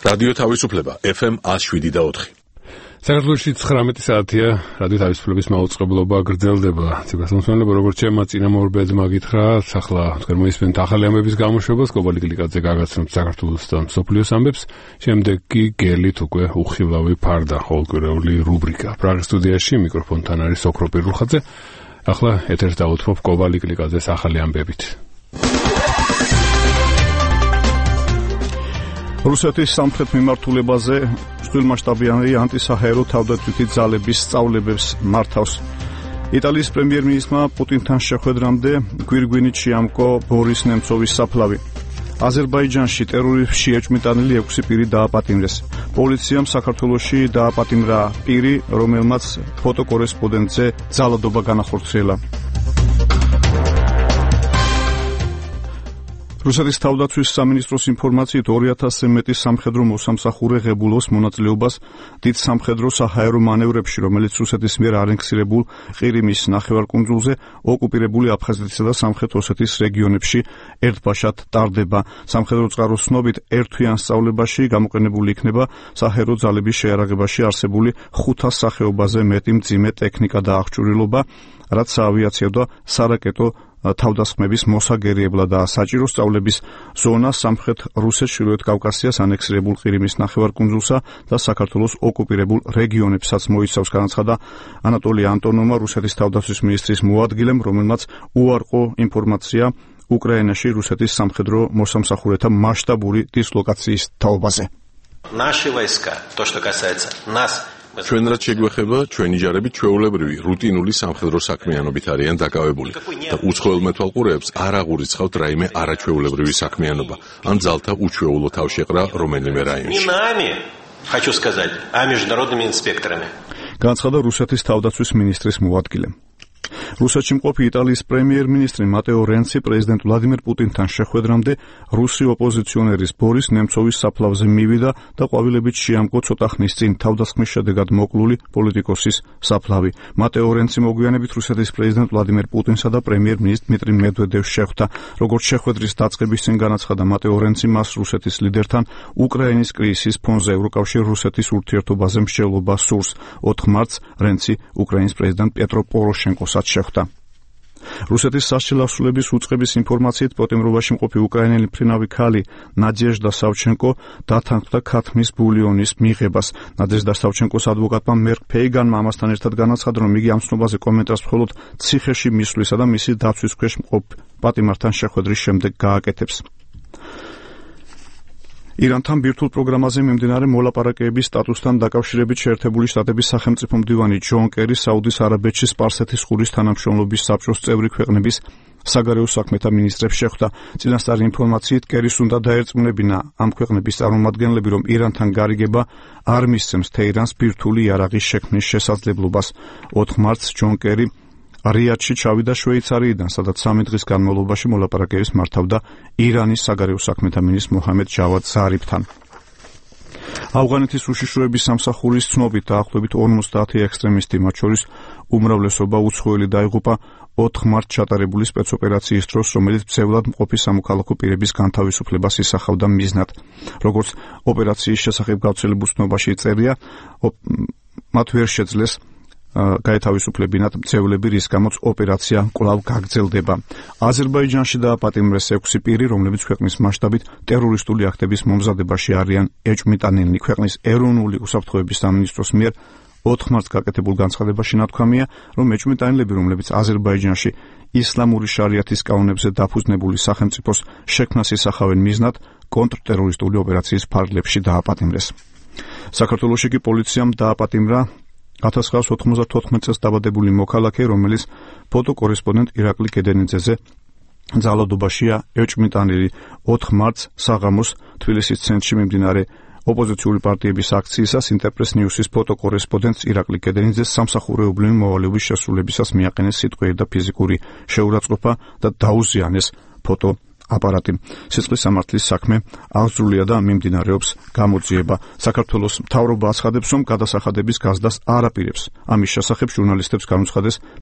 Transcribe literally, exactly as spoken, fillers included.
რადიო თავისუფლება ეფ ემ one oh seven და four. საქართველოში ცხრამეტი საათია, რადიო თავისუფლების მაუწყებლობა გრძელდება. ციგასამსმენლებო, როგორც ჩემმა წინამორბედმა გითხრა, ახლა თქვენ მოისმენთ ახალი ამბების გამოშვებას, კობალი გლიკაძე გაგაცნობთ საქართველოს და მსოფლიოს ამბებს, შემდეგ კი გელით უკვე უხილავი ფარდა, ყოველკვირეული რუბრიკა. პრაღის სტუდიაში მიკროფონთან არის ოქრო პირულხაძე. ახლა ეთერს დავუთმობ კობალი გლიკაძეს ახალი ამბებით. რუსეთის სამხრეთ მიმართულებაზე მსხვილმასშტაბიანი ანტისაჰაერო თავდაცვითი ძალების სწავლებებს მართავს. იტალიის პრემიერ-მინისტრმა პუტინთან შეხვედრამდე გვირგვინით შეამკო ბორის ნემცოვის საფლავი. აზერბაიჯანში ტერორისტში ეჭვმიტანილი ექვსი პირი დააპატიმრეს. პოლიციამ საქართველოში დააპატიმრა პირი, რომელმაც ფოტოკორესპონდენტზე ძალადობა განახორციელა. რუსეთის თავდაცვის სამინისტროს ინფორმაციით ორი ათასზე მეტი სამხედრო მოსამსახურე ღებულობს მონაწილეობას დიდ სამხედრო საჰაერო მანევრებში, რომელიც რუსეთის მიერ არენქსირებულ ყირიმის ნახევარკუნძულზე, ოკუპირებული აფხაზეთისა და სამხრეთ ოსეთის რეგიონებში ერთბაშად ტარდება. სამხედრო წყაროს ცნობით, ერთთვიან სწავლებაში გამოყენებული იქნება საჰაერო ძალების შეარაღებაში არსებული ხუთას სახეობაზე მეტი მძიმე ტექნიკა და აღჭურვილობა, რაც საავიაციო და სარაკეტო თავდასხმების მოსაგერიებლად და საჭირო სწავლების ზონა სამხრეთ რუსეთს, ჩრდილოეთ კავკასიას, ანექსირებულ ყირიმის ნახევარკუნძულსა და საქართველოს ოკუპირებულ რეგიონებსაც მოიცავს, განაცხადა ანატოლი ანტონოვმა, რუსეთის თავდაცვის მინისტრის მოადგილემ, რომელმაც უარყო ინფორმაცია უკრაინაში რუსეთის სამხედრო მოსამსახურეთა მასშტაბური დისლოკაციის თაობაზე. Наши войска, то, что касается нас, ჩვენ რაც შეგვეხება, ჩვენი ჯარები ჩვეულებრივი რუტინული სამხედრო საქმიანობით არიან დაკავებული და უცხოელ მეთვალყურეებს არ აღურიცხავთ რაიმე არაჩვეულებრივი საქმიანობა ან ძალთა უჩვეულო თავშეყრა რომელიმე რაიონში. хочу сказать, а международными инспекторами. განაცხადა რუსეთის თავდაცვის მინისტრის მოადგილე. რუსეთში მყოფი იტალიის პრემიერ-მინისტრი მატეო რენცი პრეზიდენტ ვლადიმერ პუტინთან შეხვედრამდე რუსი ოპოზიციონერის ბორის ნემცოვის საფლავზე მივიდა და ყვავილებით შეამკო ცოტა ხნის წინ თავდასხმის შედეგად მოკლული პოლიტიკოსის საფლავი. მატეო რენცი მოგვიანებით რუსეთის პრეზიდენტ ვლადიმერ პუტინსა და პრემიერ-მინისტრ დმიტრი მედვედევს შეხვდა. როგორც შეხვედრის დაწყების წინ განაცხადა მატეო რენცი, მას რუსეთის ლიდერთან უკრაინის კრიზისის ფონზე ევროკავშირ რუსეთის ურთიერთობაზე მსჯელობა სურს. ოთხ მარტს რენცი უკრაინის პრეზიდენტ პეტრო პოროშენკოსაც შეხვდა. რუსეთის სასჯელოსნების უწყების ინფორმაციით პოტემრობაში მყოფი უკრაინელი ფრინავი ქალი ნადეჟდა სავჩენკო დათანხმდა ქათმის ბულიონის მიღებას. ნადეჟდა სავჩენკოს ადვოკატმა მერკ ფეიგანმა ამასთან ერთად განაცხადა, რომ იგი ამ ცნობაზე კომენტარს მხოლოდ ციხეში მისვლისა და მისი დაცვის ქვეშ მყოფ პატიმართან შეხვედრის შემდეგ გააკეთებს. ირანთან ბირთვულ პროგრამაზე მიმდინარე მოლაპარაკებების სტატუსთან დაკავშირებით შეერთებული შტატების სახელმწიფო მდივანი ჯონ კერი საუდის არაბეთში სპარსეთის ყურის თანამშრომლობის საბჭოს წევრი ქვეყნების საგარეო საქმეთა მინისტრებს შეხვდა. წინასწარი ინფორმაციით, კერის უნდა დაერწმუნებინა ამ ქვეყნების წარმომადგენლები, რომ ირანთან გარიგება არ მისცემს თეირანს ბირთვული იარაღის შექმნის შესაძლებლობას. ოთხ მარტს ჯონ კერი რიადში ჩავიდა შვეიცარიიდან, სადაც სამი დღის განმავლობაში მოლაპარაკებებს მართავდა ირანის საგარეო საქმეთა მინისტრ მოჰამედ ჯავად ზარიფთან. ავღანეთის უშიშროების სამსახურის ცნობით დაახლოებით ორმოცდაათი ექსტრემისტი, მათ შორის უმრავლესობა უცხოელი დაიღუპა ოთხ მარტს ჩატარებული სპეცოპერაციის დროს, რომელიც ბრძევლად მყოფი სამოქალაქო პირების განთავისუფლებას ისახავდა მიზნად. როგორც ოპერაციის შესახებ გავრცელებულ ცნობაში წერია, მათ ვერ შეძლეს გაეთავისუფლებინათ მცევლები, რის გამოც ოპერაცია კვლავ გაგრძელდება. აზერბაიჯანში დააპატიმრეს ექვსი პირი, რომლებიც ქვეყნის მასშტაბით ტერორისტული აქტების მომზადებაში არიან ეჭვმიტანილნი. ქვეყნის ეროვნული უსაფრთხოების სამინისტროს მიერ ოთხ მარტს გაკეთებულ განცხადებაში ნათქვამია, რომ ეჭვმიტანილები, რომლებიც აზერბაიჯანში ისლამური შარიათის კანონებზე დაფუძნებული სახელმწიფოს შექმნას ისახავენ მიზნად, კონტრტერორისტული ოპერაციის ფარგლებში დააპატიმრეს. საქართველოში კი პოლიციამ დააპატიმრა ათას ცხრაასი ოთხმოცდათოთხმეტ წელს დაბადებული მოქალაქე, რომელიც ფოტოკორესპონდენტ ირაკლი კედენიძეზე ძალადობაშია ეჭვმიტანილი. ოთხ მარტს საღამოს თბილისის ცენტრში მიმდინარე ოპოზიციური პარტიების აქციისას ინტერპრეს ნიუსის ფოტოკორესპონდენტს ირაკლი კედენიძეს სამსახურეობრივი მოვალეობის შესრულებისას მიაყენეს სიტყვიერი და ფიზიკური შეურაცხყოფა და დაუზიანეს ფოტო აპარატი. სიცხლის სამართლის საქმე აღძრულია და მიმდინარეობს გამოძიება. საქართველოს მთავრობა აცხადებს, რომ გადასახადების გაზდას არ აპირებს. ამის შესახებ ჟურნალისტებს განუცხადეს